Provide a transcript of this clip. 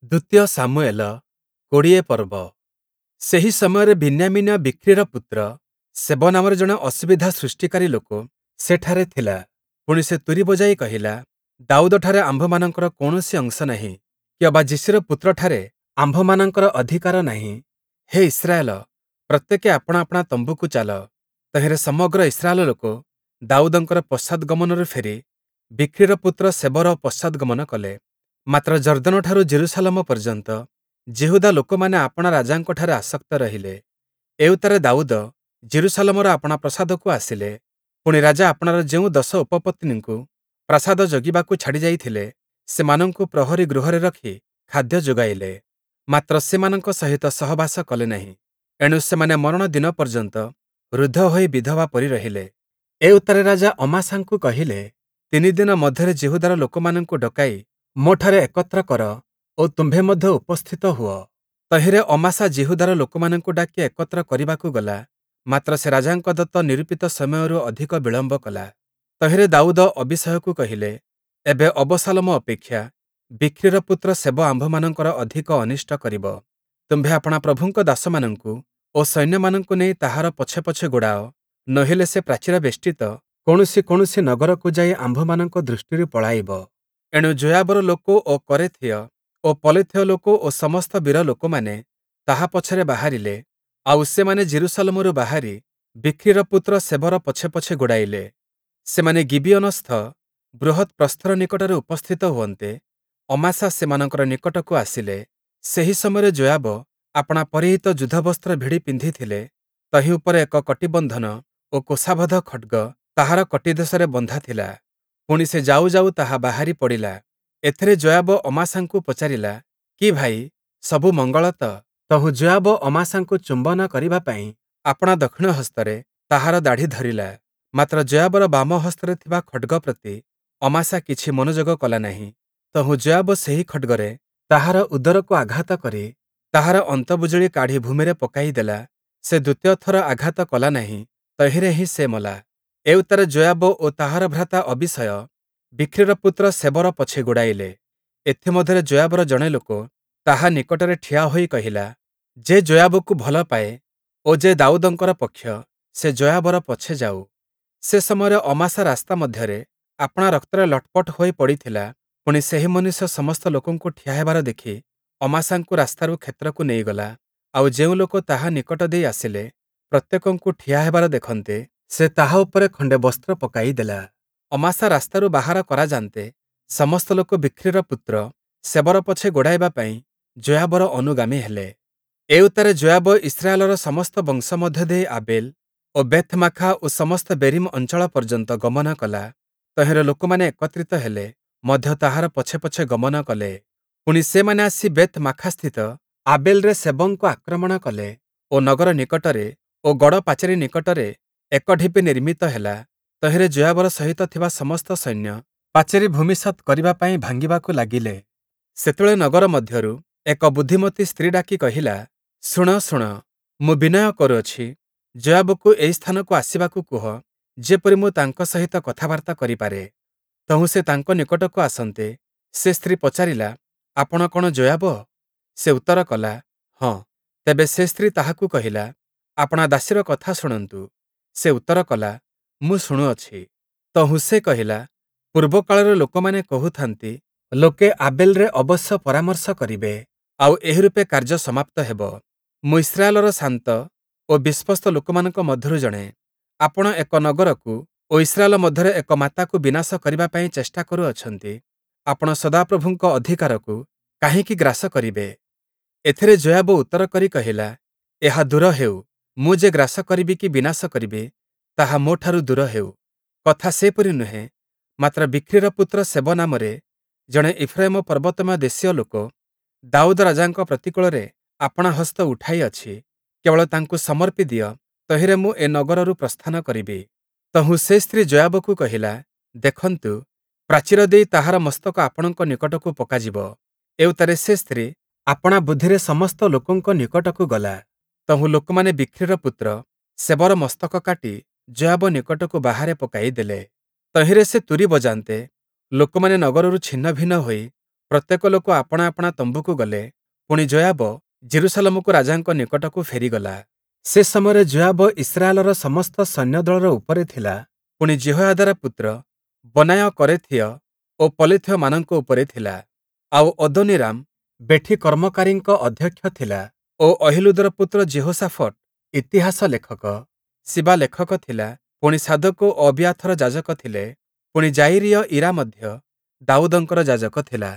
ଦ୍ୱିତୀୟ ଶାମୁୟେଲ ୨୦ ପର୍ବ। ସେହି ସମୟରେ ବିନ୍ୟାମୀନୀୟ ବିକ୍ରୀର ପୁତ୍ର ଶେବ ନାମରେ ଜଣେ ଅସୁବିଧା ସୃଷ୍ଟିକାରୀ ଲୋକ ସେଠାରେ ଥିଲା। ପୁଣି ସେ ତୂରୀ ବଜାଇ କହିଲା, ଦାଉଦଠାରେ ଆମ୍ଭମାନଙ୍କର କୌଣସି ଅଂଶ ନାହିଁ, କି ଅବା ଯିଶୀର ପୁତ୍ରଠାରେ ଆମ୍ଭମାନଙ୍କର ଅଧିକାର ନାହିଁ। ହେ ଇସ୍ରାଏଲ, ପ୍ରତ୍ୟେକେ ଆପଣା ଆପଣା ତମ୍ବୁକୁ ଚାଲ। ତହିଁରେ ସମଗ୍ର ଇସ୍ରାଏଲ ଲୋକ ଦାଉଦଙ୍କର ପଶ୍ଚାଦ୍‌ଗମନରୁ ଫେରି ବିକ୍ରୀର ପୁତ୍ର ଶେବର ପଶ୍ଚାଦ୍‌ଗମନ କଲେ। ମାତ୍ର ଯର୍ଦ୍ଦନଠାରୁ ଯିରୂଶାଲମ ପର୍ଯ୍ୟନ୍ତ ଯିହୁଦା ଲୋକମାନେ ଆପଣା ରାଜାଙ୍କଠାରେ ଆସକ୍ତ ରହିଲେ। ଏଉତ୍ତାରେ ଦାଉଦ ଯିରୂଶାଲମର ଆପଣା ପ୍ରାସାଦକୁ ଆସିଲେ। ପୁଣି, ରାଜା ଆପଣାର ଯେଉଁ ଦଶ ଉପପତ୍ନୀଙ୍କୁ ପ୍ରାସାଦ ଜଗିବାକୁ ଛାଡ଼ି ଯାଇଥିଲେ, ସେମାନଙ୍କୁ ପ୍ରହରୀ ଗୃହରେ ରଖି ଖାଦ୍ୟ ଯୋଗାଇଲେ। ମାତ୍ର ସେମାନଙ୍କ ସହିତ ସହବାସ କଲେ ନାହିଁ। ଏଣୁ ସେମାନେ ମରଣ ଦିନ ପର୍ଯ୍ୟନ୍ତ ରୁଦ୍ଧ ହୋଇ ବିଧବା ପରି ରହିଲେ। ଏଉତ୍ତାରେ ରାଜା ଅମାଶାଙ୍କୁ କହିଲେ, ତିନି ଦିନ ମଧ୍ୟରେ ଯିହୁଦାର ଲୋକମାନଙ୍କୁ ଡକାଇ ମୋଠାରେ ଏକତ୍ର କର ଓ ତୁମ୍ଭେ ମଧ୍ୟ ଉପସ୍ଥିତ ହୁଅ। ତହିଁରେ ଅମାଶା ଯିହୁଦାର ଲୋକମାନଙ୍କୁ ଡାକି ଏକତ୍ର କରିବାକୁ ଗଲା, ମାତ୍ର ସେ ରାଜାଙ୍କ ଦତ୍ତ ନିରୂପିତ ସମୟରୁ ଅଧିକ ବିଳମ୍ବ କଲା। ତହିଁରେ ଦାଉଦ ଅବୀଶୟକୁ କହିଲେ, ଏବେ ଅବଶାଲୋମ ଅପେକ୍ଷା ବିକ୍ରୀର ପୁତ୍ର ଶେବ ଆମ୍ଭମାନଙ୍କର ଅଧିକ ଅନିଷ୍ଟ କରିବ। ତୁମ୍ଭେ ଆପଣା ପ୍ରଭୁଙ୍କ ଦାସମାନଙ୍କୁ ଓ ସୈନ୍ୟମାନଙ୍କୁ ନେଇ ତାହାର ପଛେ ପଛେ ଗୋଡ଼ାଅ, ନୋହିଲେ ସେ ପ୍ରାଚୀର ବେଷ୍ଟିତ କୌଣସି କୌଣସି ନଗରକୁ ଯାଇ ଆମ୍ଭମାନଙ୍କ ଦୃଷ୍ଟିରୁ ପଳାଇବ। ଏଣୁ ଯୋୟାବର ଲୋକ ଓ କରେଥୀୟ ଓ ପଲେଥୀୟ ଲୋକ ଓ ସମସ୍ତ ବୀର ଲୋକମାନେ ତାହା ପଛରେ ବାହାରିଲେ, ଆଉ ସେମାନେ ଯିରୂଶାଲମରୁ ବାହାରି ବିକ୍ରୀର ପୁତ୍ର ଶେବର ପଛେ ପଛେ ଗୋଡ଼ାଇଲେ। ସେମାନେ ଗିବିୟୋନସ୍ଥ ବୃହତ୍ ପ୍ରସ୍ତର ନିକଟରେ ଉପସ୍ଥିତ ହୁଅନ୍ତେ, ଅମାଶା ସେମାନଙ୍କର ନିକଟକୁ ଆସିଲେ। ସେହି ସମୟରେ ଯୋୟାବ ଆପଣା ପରିହିତ ଯୁଦ୍ଧବସ୍ତ୍ର ଭିଡ଼ି ପିନ୍ଧିଥିଲେ, ତହିଁ ଉପରେ ଏକ କଟିବନ୍ଧନ ଓ କୋଷାବଦ୍ଧ ଖଡ଼୍ଗ ତାହାର କଟିଦେଶରେ ବନ୍ଧା ଥିଲା। ପୁଣି ସେ ଯାଉ ଯାଉ ତାହା ବାହାରି ପଡ଼ିଲା। ଏଥିରେ ଯୋୟାବ ଅମାଶାଙ୍କୁ ପଚାରିଲା, କି ଭାଇ, ସବୁ ମଙ୍ଗଳ ତ? ତହୁଁ ଯୋୟାବ ଅମାଶାଙ୍କୁ ଚୁମ୍ବନ କରିବା ପାଇଁ ଆପଣା ଦକ୍ଷିଣ ହସ୍ତରେ ତାହାର ଦାଢ଼ି ଧରିଲା। ମାତ୍ର ଯୋୟାବର ବାମ ହସ୍ତରେ ଥିବା ଖଡ଼୍ଗ ପ୍ରତି ଅମାଶା କିଛି ମନୋଯୋଗ କଲା ନାହିଁ। ତହୁଁ ଯୋୟାବ ସେହି ଖଡ଼୍ଗରେ ତାହାର ଉଦରକୁ ଆଘାତ କରି ତାହାର ଅନ୍ତବୁଜୁଳି କାଢ଼ି ଭୂମିରେ ପକାଇ ଦେଲା। ସେ ଦ୍ୱିତୀୟ ଥର ଆଘାତ କଲା ନାହିଁ, ତହିଁରେ ହିଁ ସେ ମଲା। ଏଉତ୍ତାରେ ଯୋୟାବ ଓ ତାହାର ଭ୍ରାତା ଅବୀଶୟ ବିକ୍ରୀର ପୁତ୍ର ଶେବର ପଛେ ଗୋଡ଼ାଇଲେ। ଏଥିମଧ୍ୟରେ ଯୋୟାବର ଜଣେ ଲୋକ ତାହା ନିକଟରେ ଠିଆ ହୋଇ କହିଲା, ଯେ ଯୋୟାବକୁ ଭଲ ପାଏ ଓ ଯେ ଦାଉଦଙ୍କର ପକ୍ଷ, ସେ ଯୋୟାବର ପଛେ ଯାଉ। ସେ ସମୟରେ ଅମାଶା ରାସ୍ତା ମଧ୍ୟରେ ଆପଣା ରକ୍ତରେ ଲଟପଟ ହୋଇ ପଡ଼ିଥିଲା। ପୁଣି, ସେହି ମନୁଷ୍ୟ ସମସ୍ତ ଲୋକଙ୍କୁ ଠିଆ ହେବାର ଦେଖି ଅମାଶାଙ୍କୁ ରାସ୍ତାରୁ କ୍ଷେତ୍ରକୁ ନେଇଗଲା। ଆଉ ଯେଉଁ ଲୋକ ତାହା ନିକଟ ଦେଇ ଆସିଲେ, ପ୍ରତ୍ୟେକଙ୍କୁ ଠିଆ ହେବାର ଦେଖନ୍ତେ, ସେ ତାହା ଉପରେ ଖଣ୍ଡେ ବସ୍ତ୍ର ପକାଇ ଦେଲା। ଅମାଶା ରାସ୍ତାରୁ ବାହାର କରାଯାନ୍ତେ, ସମସ୍ତ ଲୋକ ବିକ୍ରୀର ପୁତ୍ର ଶେବର ପଛେ ଗୋଡ଼ାଇବା ପାଇଁ ଯୋୟାବର ଅନୁଗାମୀ ହେଲେ। ଏଉତ୍ତାରେ ଯୋୟାବ ଇସ୍ରାଏଲର ସମସ୍ତ ବଂଶ ମଧ୍ୟ ଦେଇ ଆବେଲ୍ ଓ ବେଥ୍‌ମାଖା ଓ ସମସ୍ତ ବେରୀମ୍ ଅଞ୍ଚଳ ପର୍ଯ୍ୟନ୍ତ ଗମନ କଲା। ତହିଁର ଲୋକମାନେ ଏକତ୍ରିତ ହେଲେ ମଧ୍ୟ ତାହାର ପଛେ ପଛେ ଗମନ କଲେ। ପୁଣି, ସେମାନେ ଆସି ବେଥ୍‌ମାଖାସ୍ଥିତ ଆବେଲ୍‌ରେ ଶେବଙ୍କୁ ଆକ୍ରମଣ କଲେ ଓ ନଗର ନିକଟରେ ଓ ଗଡ଼ ପାଚେରୀ ନିକଟରେ ଏକ ଢିପି ନିର୍ମିତ ହେଲା। ତହିଁରେ ଯୋୟାବର ସହିତ ଥିବା ସମସ୍ତ ସୈନ୍ୟ ପାଚେରୀ ଭୂମିସାତ୍ କରିବା ପାଇଁ ଭାଙ୍ଗିବାକୁ ଲାଗିଲେ। ସେତେବେଳେ ନଗର ମଧ୍ୟରୁ ଏକ ବୁଦ୍ଧିମତୀ ସ୍ତ୍ରୀ ଡାକି କହିଲା, ଶୁଣ, ଶୁଣ, ମୁଁ ବିନୟ କରୁଅଛି, ଯୋୟାବକୁ ଏହି ସ୍ଥାନକୁ ଆସିବାକୁ କୁହ, ଯେପରି ମୁଁ ତାଙ୍କ ସହିତ କଥାବାର୍ତ୍ତା କରିପାରେ। ତହୁଁ ସେ ତାଙ୍କ ନିକଟକୁ ଆସନ୍ତେ, ସେ ସ୍ତ୍ରୀ ପଚାରିଲା, ଆପଣ କଣ ଯୋୟାବ? ସେ ଉତ୍ତର କଲା, ହଁ। ତେବେ ସେ ସ୍ତ୍ରୀ ତାହାକୁ କହିଲା, ଆପଣା ଦାସୀର କଥା ଶୁଣନ୍ତୁ। ସେ ଉତ୍ତର କଲା, ମୁଁ ଶୁଣୁଅଛି। ତହୁଁ ସେ କହିଲା, ପୂର୍ବକାଳର ଲୋକମାନେ କହୁଥାନ୍ତି, ଲୋକେ ଆବେଲ୍‌ରେ ଅବଶ୍ୟ ପରାମର୍ଶ କରିବେ, ଆଉ ଏହି ରୂପେ କାର୍ଯ୍ୟ ସମାପ୍ତ ହେବ। ମୁଁ ଇସ୍ରାଏଲର ଶାନ୍ତ ଓ ବିଶ୍ୱସ୍ତ ଲୋକମାନଙ୍କ ମଧ୍ୟରୁ ଜଣେ। ଆପଣ ଏକ ନଗରକୁ ଓ ଇସ୍ରାଏଲ ମଧ୍ୟରେ ଏକ ମାତାକୁ ବିନାଶ କରିବା ପାଇଁ ଚେଷ୍ଟା କରୁଅଛନ୍ତି। ଆପଣ ସଦାପ୍ରଭୁଙ୍କ ଅଧିକାରକୁ କାହିଁକି ଗ୍ରାସ କରିବେ? ଏଥିରେ ଯୋୟାବ ଉତ୍ତର କରି କହିଲା, ଏହା ଦୂର ହେଉ, ମୁଁ ଯେ ଗ୍ରାସ କରିବି କି ବିନାଶ କରିବି, ତାହା ମୋଠାରୁ ଦୂର ହେଉ। କଥା ସେପରି ନୁହେଁ, ମାତ୍ର ବିକ୍ରୀର ପୁତ୍ର ଶେବ ନାମରେ ଜଣେ ଇଫ୍ରାଇମ ପର୍ବତମୟ ଦେଶୀୟ ଲୋକ ଦାଉଦ ରାଜାଙ୍କ ପ୍ରତିକୂଳରେ ଆପଣା ହସ୍ତ ଉଠାଇଅଛି। କେବଳ ତାଙ୍କୁ ସମର୍ପି ଦିଅ, ତହିଁରେ ମୁଁ ଏ ନଗରରୁ ପ୍ରସ୍ଥାନ କରିବି। ତହୁଁ ସେ ସ୍ତ୍ରୀ ଯୋୟାବକୁ କହିଲା, ଦେଖନ୍ତୁ, ପ୍ରାଚୀର ଦେଇ ତାହାର ମସ୍ତକ ଆପଣଙ୍କ ନିକଟକୁ ପକାଯିବ। ଏଉତ୍ତାରେ ସେ ସ୍ତ୍ରୀ ଆପଣା ବୁଦ୍ଧିରେ ସମସ୍ତ ଲୋକଙ୍କ ନିକଟକୁ ଗଲା। ତହୁଁ ଲୋକମାନେ ବିକ୍ରୀର ପୁତ୍ର ଶେବର ମସ୍ତକ କାଟି ଯୋୟାବ ନିକଟକୁ ବାହାରେ ପକାଇ ଦେଲେ। ତହିଁରେ ସେ ତୂରୀ ବଜାନ୍ତେ, ଲୋକମାନେ ନଗରରୁ ଛିନ୍ନଭିନ୍ନ ହୋଇ ପ୍ରତ୍ୟେକ ଲୋକ ଆପଣା ଆପଣା ତମ୍ବୁକୁ ଗଲେ। ପୁଣି ଯୋୟାବ ଯିରୂଶାଲମକୁ ରାଜାଙ୍କ ନିକଟକୁ ଫେରିଗଲା। ସେ ସମୟରେ ଯୋୟାବ ଇସ୍ରାଏଲର ସମସ୍ତ ସୈନ୍ୟଦଳର ଉପରେ ଥିଲା, ପୁଣି ଯିହୋୟାଦାର ପୁତ୍ର ବନାୟ କରେଥୀୟ ଓ ପଲେଥୀୟମାନଙ୍କ ଉପରେ ଥିଲା, ଆଉ ଅଦୋନୀରାମ ବେଠିକର୍ମକାରୀଙ୍କ ଅଧ୍ୟକ୍ଷ ଥିଲା ଓ ଅହୀଲୁଦର ପୁତ୍ର ଯିହୋଶାଫଟ ଇତିହାସ ଲେଖକ। ସିବା ଲେଖକ ଥିଲା, ପୁଣି ସାଦୋକ ଓ ଅବିୟାଥର ଯାଜକ ଥିଲେ, ପୁଣି ଯାୟୀରୀୟ ଈରା ମଧ୍ୟ ଦାଉଦଙ୍କର ଯାଜକ ଥିଲା।